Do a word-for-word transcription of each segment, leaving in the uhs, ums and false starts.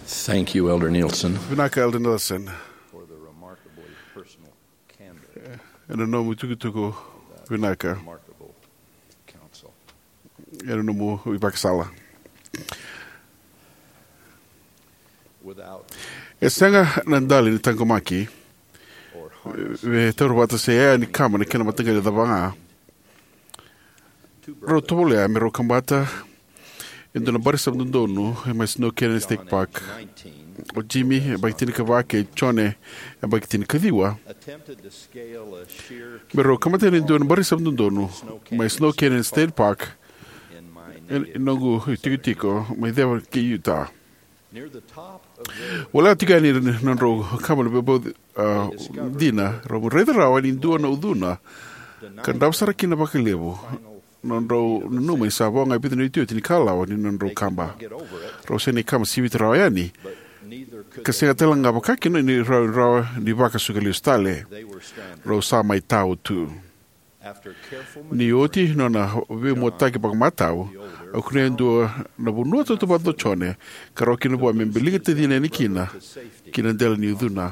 Thank you, Elder Nielsen, vinaka, Elder Nielsen, for the remarkably personal candor, ena nomu itukutuku vinaka, remarkable counsel, ena nomu ivakasala. Without, e sega na dali ni taqomaki or harness, me taura vata se yaya ni kama na kena mataqali cava ga. Rau tovolea me rau kabata e dua na bari sava dodonu mai Snow Canyon State Park. O Jimmy, e baki tinikava, kei Jone, e baki tinikaciwa, me rau kabata e dua na bari sava dodonu mai Snow Canyon State Park, e noqu tikotiko mai ceva kei Utah. Voleka tiko yani nodrau kama na veibau, a, dina, rau raica rawa ni dua na ucuna ka davo sara kina vakalevu. Nodrau nanuma ni sa vo ga e vica na iotioti ni kalawa ni nodrau kaba. Rau sega ni kama sivita rawa yani, ka sega tale ga vakakina ni rau rawa ni vakasuka lesu tale. Rau sa mai tau tu. Ni oti nona veimuataki vakamatau, au kunea e dua na vanua tautauvata o Jone ka rawa kina vua me biliga tacina yani kina ki na dela ni ucuna.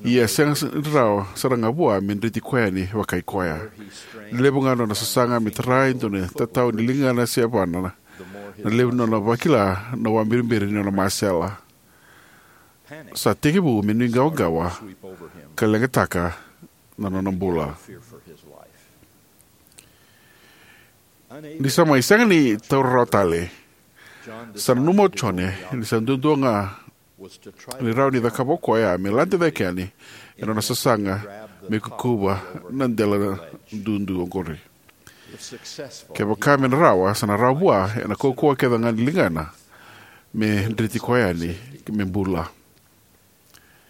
Ia e sega rawa sara ga vua me dreti koya yani vakai koya. Levu ga nona sasaga me tara e dua na tatau ni ligana se yavana, na levu nona vakila na wabiribiri ni nona masela. Sa tekivu me nuiqawaqawa ka leqataka na nona bula. Ni sa mai sega ni taura rawa tale, sa nanuma o Jone ni sa duadua ga ni rawa ni cakava o koya me lade cake yani ena nona sasaga me kukuva na dela dudu oqori. Kevaka me na rawa, sa na rawa vua ena kaukauwa kece ga ni ligana me dreti koya yani me bula.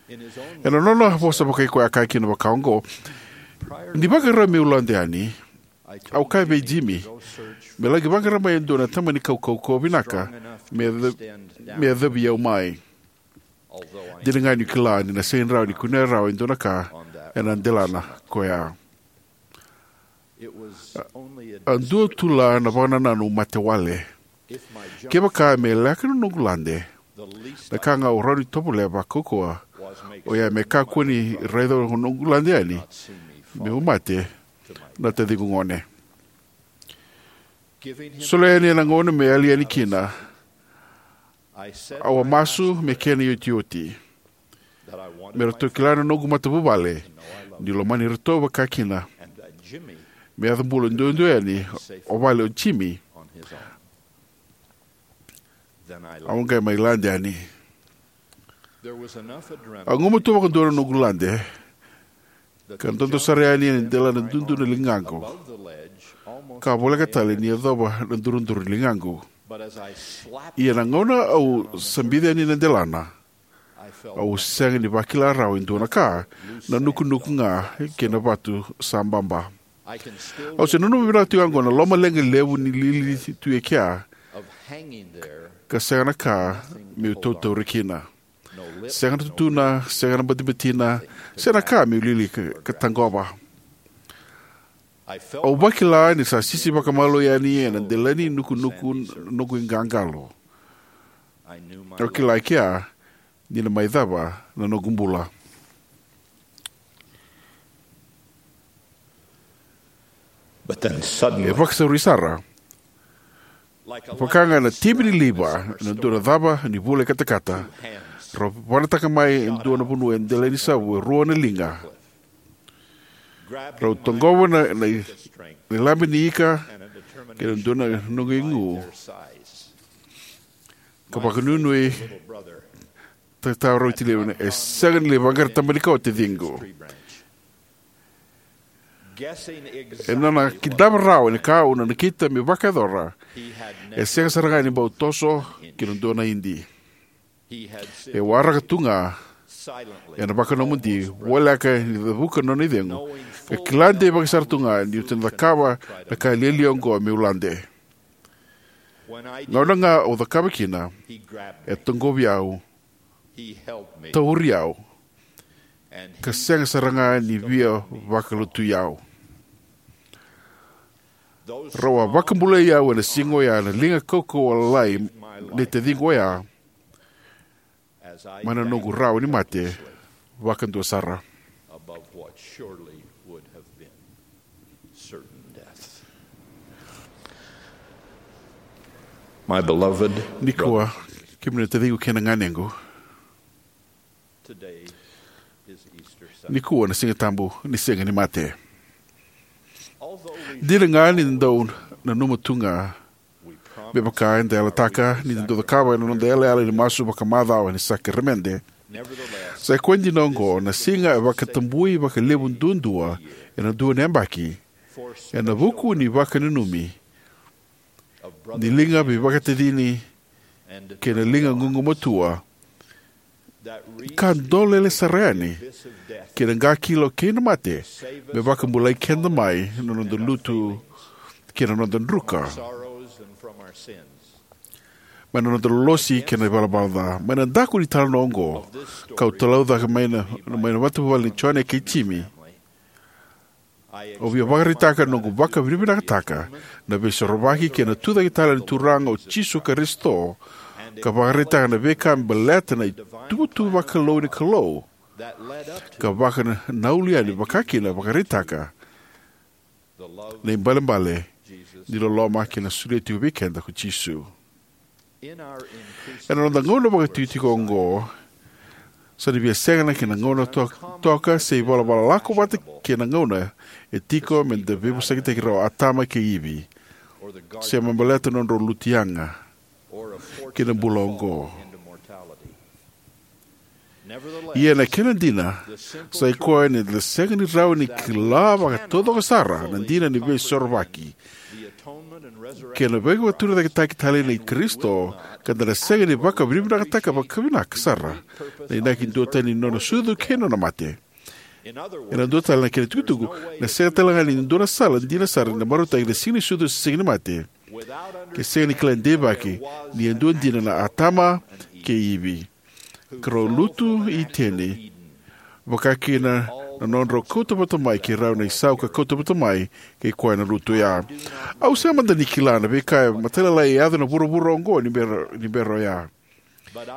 Ena nona vosa vakai koya, kaya kina vaka oqo: Ni vakarau meu lade yani, au kaya vei Jimmy me laki vaqara mai e dua na tamani kaukauwa vinaka me yaco, me yacovi au mai. Dina ga niu kila ni na sega ni rawa ni kunea rawa e dua na ka ena delana koya. A dua tu la na vakanananu mate wale. Kevaka me leqa na noqu lade, na ka ga au rawa ni tovolea vakaukauwa oya me kakua ni raica na noqu lade yani meu mate na taciqu gone. Solia yani ena gauna me yali yani kina, au a masu me kena iotioti me ratou kila na noqu matavuvale niu lomani iratou vakakina, me yaco bula duadua yani o vale o Jimmy. Au qai mai lade yani. A gumatua vakadua na noqu lade ka dodo sara yani ena dela na dudu na ligaqu, ka voleka tale ni yacova na duradura ni ligaqu. Ia na gauna au sa bica yani na delana, au sega ni vakila rawa e dua na ka, na nukunuku ga kei na vatu sa baba. Au se nanuma vinaka tiko ga oqo na lomaleqa levu ni lili tu e kea, ka sega na ka meu tautauri kina. Sega na tutuna, sega na batibatina, sega na ka meu lili ka, ka taqova. Au vakila ni sa sisi vakamalua yani ena dela ni nukunuku noqu iqaqalo. Au kila e kea ni na mai cava na noqu bula. But then suddenly, e vakasauri sara. Vaka ga na tibi ni liva ena dua na cava ni vula e katakata, rau vanataka mai e dua na vanua e dela ni savu e rua na liga. Rau taqova na, na, na ilabe ni ika kei na dua na noqu igu, ka vakanuinui, tataurauti levu, e sega ni lai vaqara taba ni kau o taciqu. Ena nona kidava rawa ni ka au na nakita me vakayacora, e sega sara ga ni bau toso ki na dua na idi. E waraka tu ga ena vakanomodi, voleka ni cavuka na nona icegu, ka kila deivaki sara tu ga niu na cakava na ka lialia oqo meu lade. Gauna ga au cakava kina, e taqovi au, tauri au, ka sega sara ga ni via vakalutui au. Rau a vakabulai au ena siga oya na liga kaukauwa lalai nei taciqu oya mai na noqu rawa ni mate vakadua sara. Nikua, kemuni na taciqu kei na ganequ, nikua na Siga Tabu ni Sega ni Mate. Dina ga ni da dau nanuma tu ga, me vaka eda yalataka ni da dau cakava ena noda yalayala ni masu vakamacawa ni sakaramede, sa i koya dina oqo na siga e vakatabui vakalevu duadua ena dua na yabaki ena vuku ni vakananumi ni liga veivakatacini kei na liga gugumatua ka dolele sara yani ki na qakilo kei na mate, me vakabulai keda mai na noda lutu kei na noda druka, mai na noda lolosi kei na ivalavala ca. Mai na daku ni talanoa oqo kau talaucaka mai na, mai na matavuvale ni Jone kei Jimi, au via vakaraitaka na noqu vakavinavinakataka na Veisorovaki kei na tucake tale ni Turaga o Jisu Karisito, ka vakaraitaka na veika me baleta na ituvatuva vakalou ni Kalou ka vakanananu yani, vakakina vakaraitaka na ibalebale ni loloma kei na solia tiko vei keda ko Jisu. Ena noda gauna vakaitikotiko oqo, sa na via sega na kena gauna to-, toka se ivalavala lako vata kei na gauna e tiko me da veivosakitaki rau o Atama kei Ivi, se me baleta na nodrau lutu yaga ki na bula oqo. Ia na kena dina sa i koya ni da sega ni rawa ni kila vakataucoko sara na dina ni Veisorovaki kei na veivakaturicaketaki tale nei Karisito, ka da na sega ni vakavinavinakataka vakavinaka sara na inaki duatani ni nona sucu kei na nona mate. Ena dua tale na kena tukutuku, na sega tale ga ni dua na sala dina sara ni marautaki na Siga ni Sucu se Siga ni Mate ke sega ni kila deivaki ni a dua dina na Atama kei Ivi, ka rau lutu i Iteni, vakakina na nodrau kauta vata mai kei rau na isau ka kauta vata mai kei koya na lutu oya. Au sega mada ni kila na veika e matailalai e yaco ena vuravura oqo ni bera, ni bera oya.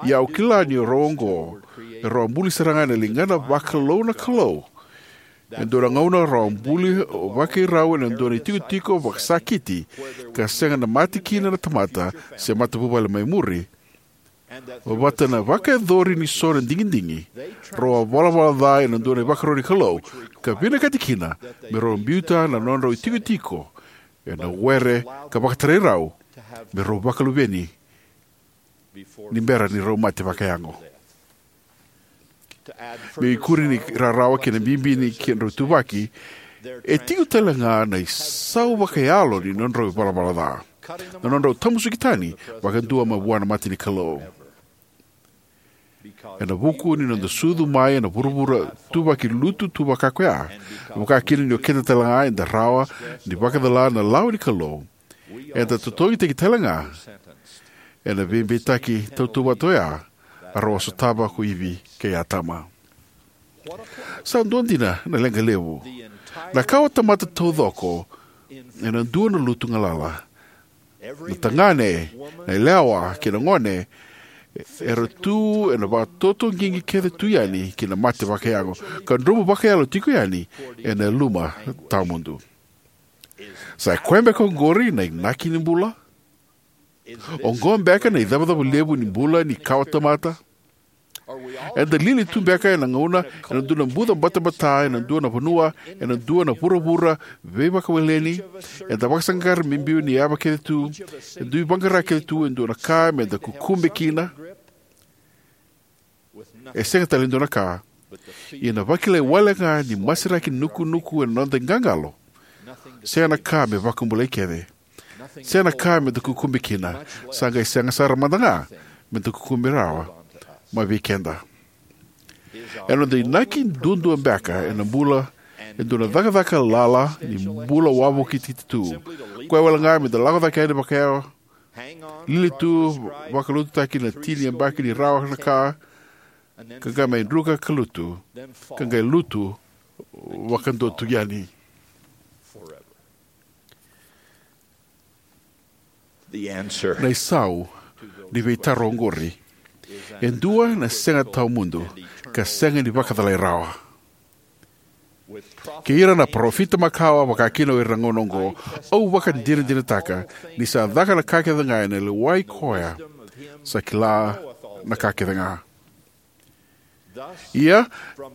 Ia au kila ni o rau oqo, e rau a buli sara ga ena ligana vakalou na Kalou. E dua na gauna rau a buli vakairau ena dua na itikotiko vakasakiti, ka sega na mate kina na tamata se matavuvale mai muri. Vata na vakayacori ni so na digidigi, rau a valavala ca ena dua na ivakaro ni Kalou, ka vinakati kina me rau biuta na nodrau itikotiko ena were ka vakatarai rau me rau vakaluveni ni bera ni rau mate vakayago. Me ikuri ni rarawa kei na bibi ni kedrau ituvaki, e tiko tale ga na isau vakayalo ni nodrau ivalavala ca, na nodrau tamusuki tani vakadua mai vua na mata ni Kalou. Ena vuku ni noda sucu mai ena vuravura tuvaki lutu tu vaka koya, vakakina ni o keda tale ga eda rawa ni vakacala na lawa ni Kalou, eda totogitaki tale ga ena veibeitaki tautauvata oya a rau a sotava ko Ivi kei Atama. Sa dua dina na leqa levu. Na kawatamata taucoko ena dua na lutu galala. Na tagane, na yalewa kei na gone era tu ena vakatotoqiqi kece tu yani ki na mate vakayago, ka dromu vakayalo tiko yani ena yaluma tawamudu. Sa i koya beka oqori na inaki ni bula? Oqo beka na icavacava levu ni bula ni kawatamata? Eda lili tu beka ena gauna, ena dua na buca batabata, ena dua na vanua, ena dua na vuravura veivakaweleni? Eda vakasaqara me biu ni yava kece tu, e dui vaqara kece tu e dua na ka meda kukube kina. E sega tale e dua na ka, ia na vakilai wale ga ni masiraki nukunuku ena noda iqaqalo. Sega na ka me vakabulai kece. Sega na ka meda kukube kina. Sa qai sega sara mada ga meda kukube rawa mai vei keda. Ena noda inaki duadua beka ena bula e dua na cakacaka lala ni bula wavoki titi tu. Koya wale ga meda lako cake yani vakayawa, lili tu, vakalututaki na tini yabaki ni rawa na ka, ka qai mai druka ka lutu, ka qai lutu vakadua tu yani. Na isau ni veitaro oqori. E dua na sega tawamudu ka sega ni vakacalai rawa. Kei ira na parofita makawa, vaka kina o ira na gauna oqo, au vakadinadinataka ni sa caka na ka kece ga ena lewai koya sa kila na ka kece ga. Ia,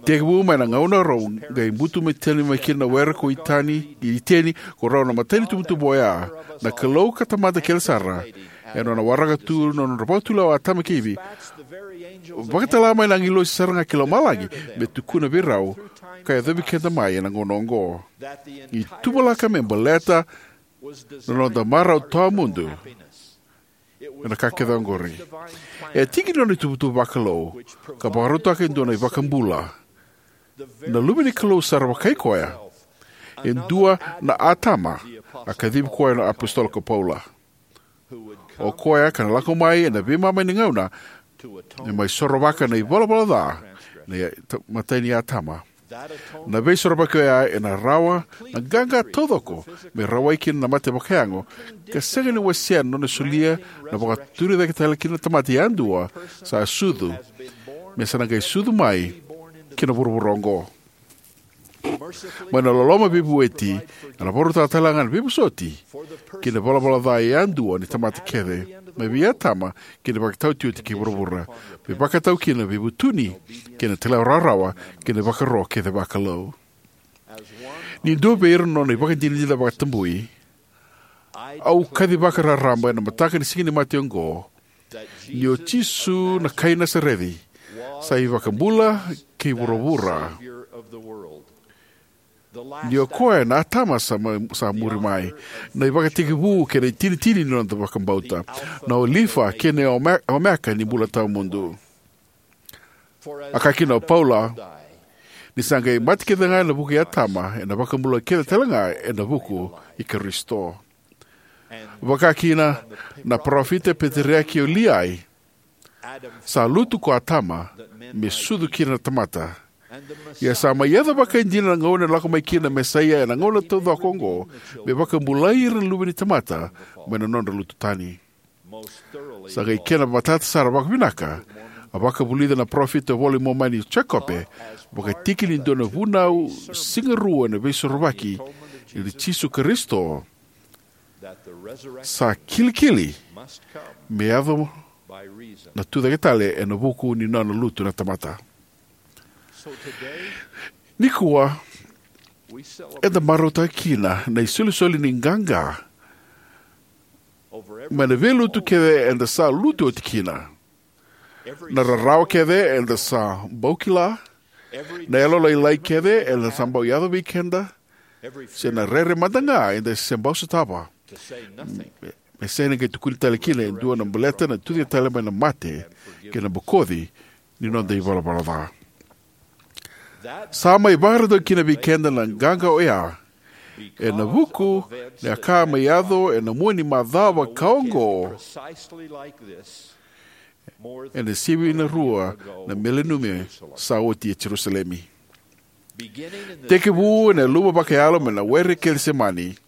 tekivu mai na gauna rau qai butu mai tani mai kina na were ko Iteni, Iteni, ko rau na matai ni tubutubu oya, na Kalou ka Tamada kece sara, ena nona waraka tu na nodra vakatulewa o Atama kei Ivi, vakatala mai na agilosi sara ga ki lomalagi me tukuna vei rau ka yacovi keda mai ena gauna oqo. Ni tuvalaka me baleta na noda marau tawamudu ena ka kece oqori. E tiki ni nona ituvatuva vakalou ka vakarautaka e dua na iVakabula, na Luve ni Kalou sara vakai koya, e dua na Atama, a kacivi koya na apositolo ko Paula. O koya ka na lako mai ena veimama ni gauna, me mai sorovaka na ivalavala ca, na ia-, ta-, matai ni Atama. Na veisorovaki oya ena rawa na qaqa taucoko me rawai kina na mate vakayago, ka sega ni wasea na nona solia na vakaturi cake tale kina na tamata yadua sa sucu, me sa na qai sucu mai ki na vuravura oqo. Mai na loloma veivueti, ena vakarautaka tale ga na veivosoti ki na valavala ca yadua ni tamata kece, mai vei Atama ki na ivakataotioti kei vuravura, me vakatau kina na veivutuni kei na talairawarawa kei na ivakaro kece vakalou. Ni dua vei ira na nona ivakadinadina vakatabui, au kacivaka raraba ena mataka ni Siga ni Mate oqo, ni o Jisu na kai Nasareci sa iVakabula kei vuravura. Ni o koya na Atama sa ma-, sa muri mai, na ivakatekivu kei na itinitini ni noda vakabauta, na Olifa kei na Ome-, Omeka ni bula tawamudu. A kaya kina o Paula, ni sa qai mate kece ga ena vuku i Atama, ena vakabula kece tale ga ena vuku i Karisito. Vaka kina na parofita peteriaki o Liai, sa lutu ko Atama me sucu kina na tamata. Ia sa mai yaco vakaidina na gauna ena lako mai kina na Mesaia ena gauna taucoko oqo, me vakabulai ira na luve ni tamata mai na nodra lutu tani. Sa qai kena matata sara vakavinaka, a vakavulica na parofita e vola i Momani o Jekope, vakatiki ni dua na vunau sigarua ena veisorovaki i Jisu Karisito, sa kilikili me yaco na tucake tale ena vuku ni nona lutu na tamata. Nikua, eda marautaka kina na isolisoli ni qaqa mai na veilutu kece eda sa lutu oti kina, na rarawa kece eda sa bau kila, na yalolailai kece eda sa bau yaco vei keda, se na rere mada ga eda se bau sotava. Me sega ni qai tukuni tale kina e dua na baleta na tucake tale mai na mate kei na bokoci ni noda ivalavala ca. Sa mai vakarautaki kina vei keda na qaqa oya ena vuku ni a ka mai yaco ena mua ni macawa ka oqo, ena sivi na rua na mileniumi sa oti e Jerusalemi. Tekivu ena yaluma vakayalo mai na were Kecisemani,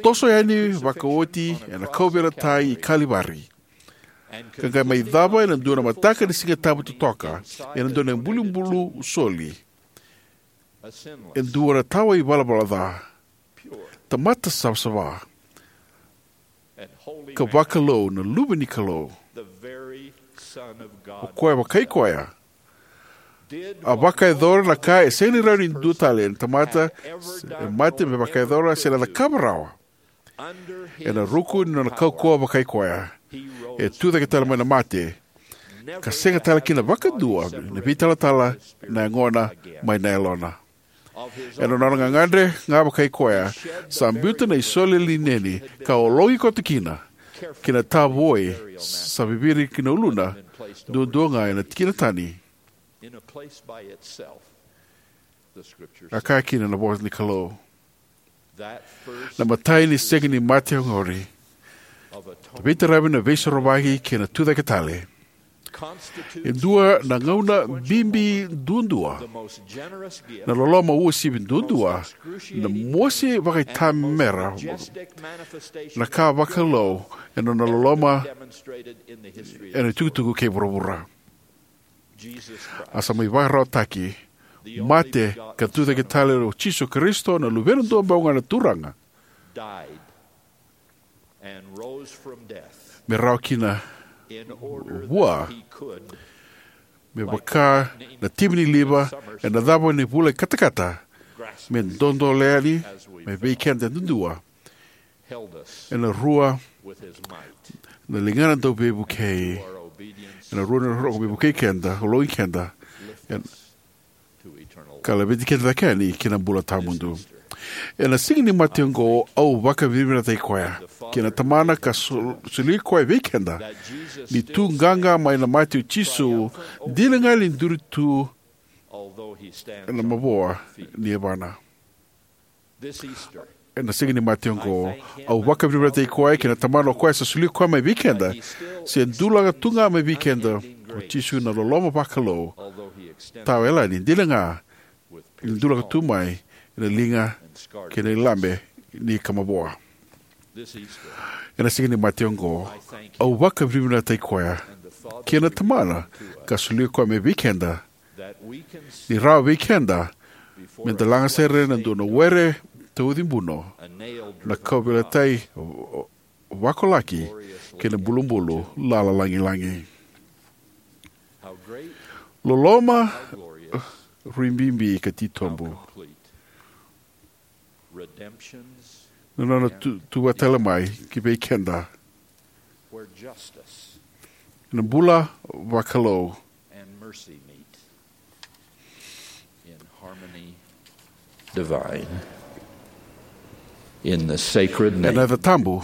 toso yani vakaoti ena kauveilatai i Kalivari, ka qai mai cava ena dua na mataka ni Siga Tabu totoka, ena dua na ibulubulu soli, e dua na tawa ivalavala ca, tamata savasava, ka vakalou, na Luve ni Kalou. O koya vakai koya a vakayacora na ka e sega ni rawa ni dua tale na tamata se mate me vakayacora se na cakava rawa. Ena ruku ni nona kaukauwa vakai koya, e tucake tale mai na mate, ka sega tale kina vakadua na veitalatala na yagona mai na yalona. Ena nona gagadre ga vakai koya, sa biuta na isole lineni ka ologi koto kina, kei na tavoi sa viviri ki na uluna, duadua ga ena tikina tani. A kaya kina na vosa ni Kalou. Na imatai ni Siga ni Mate oqori, na veitaravi, na veisorovaki kei na tucake tale, E dua na gauna bibi duadua, na loloma uasivi duadua, na mosi vakaitamera, na ka vakalou ena nona loloma ena itukutuku kei vuravura. A sa mai vakararawataki, mate ka tucake tale o Jisu Karisito, na Luvena duabau ga na Turaga, me rawa kina vua, me vaka na timi ni liva ena cava ni vula i katakata, me dodoliga yani mai vei keda duadua ena rua na ligana dau veivukei, ena rua na rogo me vukei keda, ologi keda, ena ka laveti keda cake yani ki na bula tawamudu. Ena siga ni mate oqo, au vakavinavinakataki koya kei na Tamana ka sol-, soli koya vei keda, ni tu qaqa mai na mate o Jisu, dina ga ni duri tu ena mavoa ni yavana. Ena siga ni mate oqo, au vakavinavinakataki koya kei na Tamana o koya sa soli koya mai vei keda, se dulaka tu ga mai vei keda o Jisu na loloma vakalou tawa yalani, dina ga ni dulaka tu mai ena liga kei na ilabe ni ka mavoa. Ena siga ni mate oqo, au vakavinavinakataki koya kei na Tamana ka soli koya mai vei keda, ni rawa vei keda me da laga sere na dua na were tauci buno, na kauveilatai vakolaki kei na bulubulu lala lagilagi. Loloma rui bibi ka titobu na nona tu, tu vata tale mai ki vei keda na bula vakalou. In harmony divine. In the sacred name, ena yaca tabu,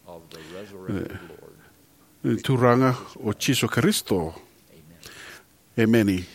of the resurrected Lord, ni Turaga o Jisu Karisito. Emeni.